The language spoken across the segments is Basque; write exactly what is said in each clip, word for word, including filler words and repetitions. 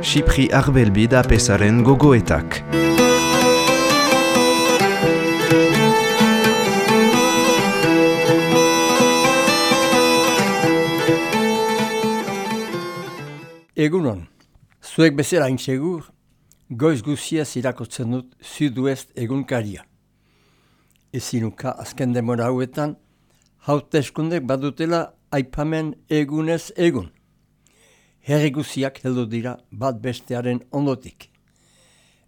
Xipri Arbelbid apesaren gogoetak. Egunon, zuek bezala hain segur, goiz guziaz irakurtzen dut Sud-West egunkaria. Ezinuka azken demora hauetan, hauteskundek badutela aipamen egunez egun. Herri guziak heldu dira bat bestearen ondotik.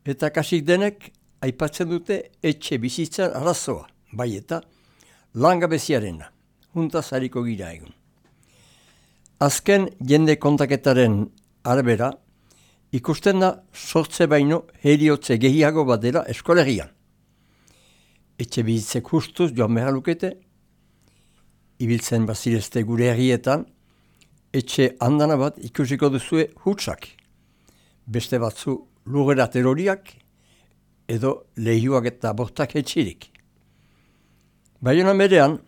Eta kasik denek aipatzen dute etxe bizitzan arazoa, bai eta langabeziarena, juntaz hariko gira egun. Azken jende kontaketaren arabera, ikusten da sortze baino heriotze gehiago bat dela eskolegian. Etxe bizitzek justuz joan behar lukete, ibiltzen bazirezte gure herrietan, etxe handana bat ikusiko duzue hutsak. Beste batzu lurrera teroriak edo lehiuak eta bortak etxirik. Baiona merean,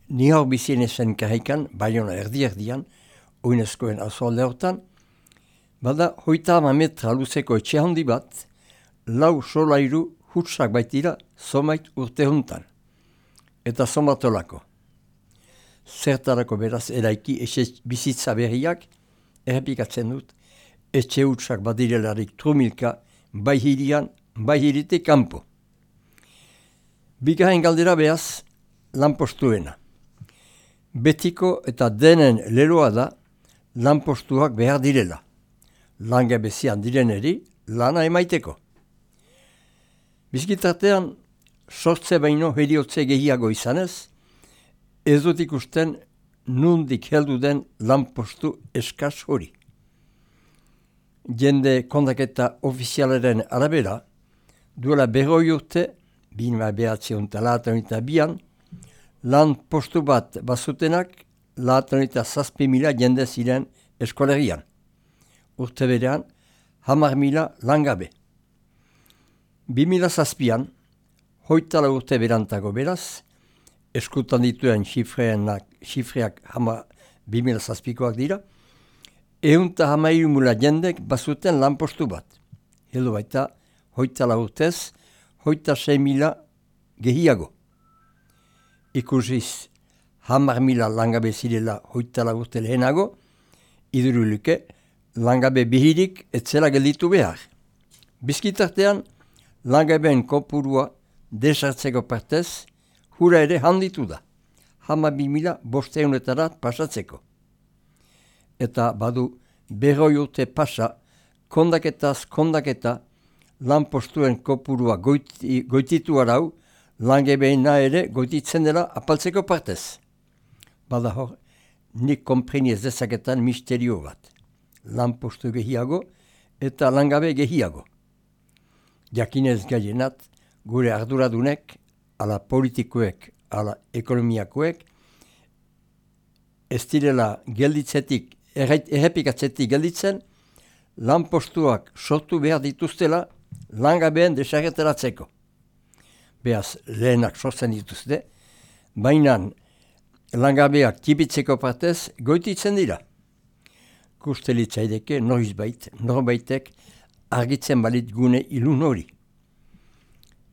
ni hor bizien ezen karrikan, Baiona erdi-erdian, oinezkoen azoalde hortan, bada hoita ama metra luzeko etxe handi bat, lau solairu hutsak baitira zomait urte juntan. Eta zomatolako. Zertarako beraz eraiki etxe bizitza berriak, errepikatzen dut, etxe hutsak badirelarik trumilka, bai hirian, bai hirite kanpo. Bigarren galdera behaz, lanpostuena. Betiko eta denen leloa da, lanpostuak behar direla. Langabezian direneri lana emaiteko. Bizkitartean, sortze baino heriotze gehiago izanez, ez dut ikusten nundik heldu den lanpostu eskas hori. Jende kontaketa ofizialaren arabera, duela berroi urte, bina behatzion eta laatan eta bian, lanpostu bat bazutenak laatan eta zazpi mila jende ziren eskolegian. Urte berean, hamar mila langabe. Bi mila zazpian, hoitala urte berantago beraz, eskutan dituen xifreak hama bi mila zazpikoak dira, eunta hamairu mila jendek bazuten lanpostu bat. Heldu baita, hoitala urtez, hoita sei mila gehiago. Ikusiz, hamar mila langabe zirela hoitala urte lehenago, iduruluke, langabe bihirik etzela gelditu behar. Bizkitartean, langabeen kopurua desartzeko partez, hura ere handitu da, hama bi mila bosteunetarat pasatzeko. Eta badu berroi urte pasa, kondaketaz kondaketa, lanpostuen kopurua goiti, goititu arau, langabeena ere goititzen dela apaltzeko partez. Bada hor, nik konpreni ez dezaketan misterio bat. Lanpostu gehiago eta langabe gehiago. Jakinez gaienat, gure arduradunek, ala politikoek, ala ekonomiakoek, ez direla gelditzetik, errepikatzetik gelditzen, lanpostuak sortu behar dituztela langabeen desagerteratzeko. Beaz, lehenak sortzen dituzte, baina langabeak tipitzeko partez goititzen dira. Kustelitzaideke noizbait, norbaitek argitzen balit gune ilun hori.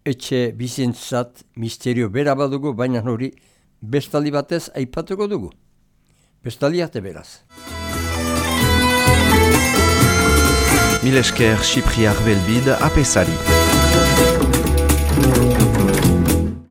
Etxe bizintzat misterio bera badugu, baina hori bestaldi batez aipatuko dugu. Bestaldi arte beraz. Milesker Xipri Arbelbid apesari.